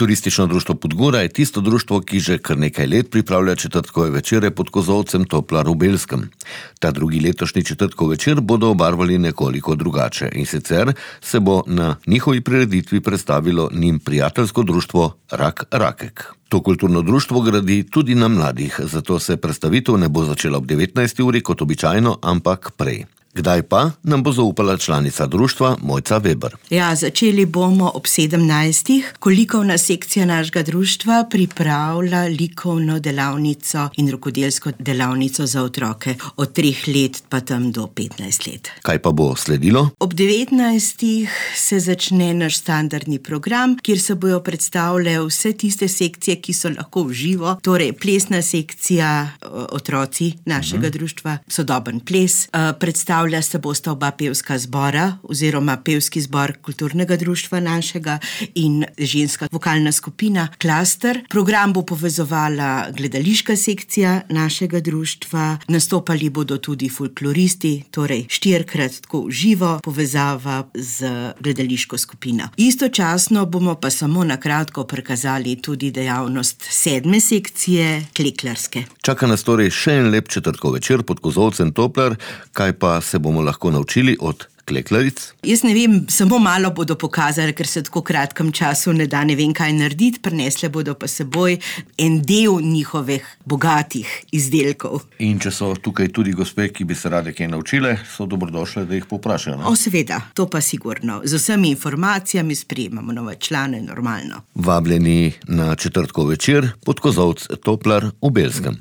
Turistično društvo Podgora je tisto društvo, ki že kar nekaj let pripravlja četrtkove večere pod kozolcem Toplar v Belskem. Ta drugi letošnji četrtkov večer bodo obarvali nekoliko drugače in sicer se bo na njihovi prireditvi predstavilo njim prijateljsko društvo Rak Rakek. To kulturno društvo gradi tudi na mladih, zato se predstavitev ne bo začela ob 19. uri kot običajno, ampak prej. Kdaj pa, nam bo zaupala članica društva Mojca Weber. Ja, začeli bomo ob 17. ko likovna sekcija našega društva pripravlja likovno delavnico in rokodelsko delavnico za otroke od 3 let pa tam do 15 let. Kaj pa bo sledilo? Ob 19. se začne naš standardni program, kjer se bojo predstavljale vse tiste sekcije, ki so lahko v živo, torej plesna sekcija, otroci našega društva, sodoben ples, predstavlja se bosta oba pevska zbora oziroma pevski zbor kulturnega društva našega in ženska vokalna skupina Klaster. Program bo povezovala gledališka sekcija našega društva, nastopali bodo tudi folkloristi, torej 4-krat tako v živo povezava z gledališko skupino. Istočasno bomo pa samo na kratko prikazali tudi dejavnost 7. sekcije, kleklarske. Čaka nas torej še en lep četrtkov večer pod kozolcem Toplar, kaj pa se bomo lahko naučili od kleklaric? Jaz ne vem, samo malo bodo pokazali, ker se v tako kratkem času ne da ne vem kaj narediti, prinesle bodo pa seboj en del njihovih bogatih izdelkov. In če so tukaj tudi gospe, ki bi se rade kaj naučile, so dobrodošle, da jih povprašajo, ne? Seveda, to pa sigurno. Z vsemi informacijami sprejemamo nove člane, normalno. Vabljeni na četrtkov večer pod kozolc Toplar v Belskem.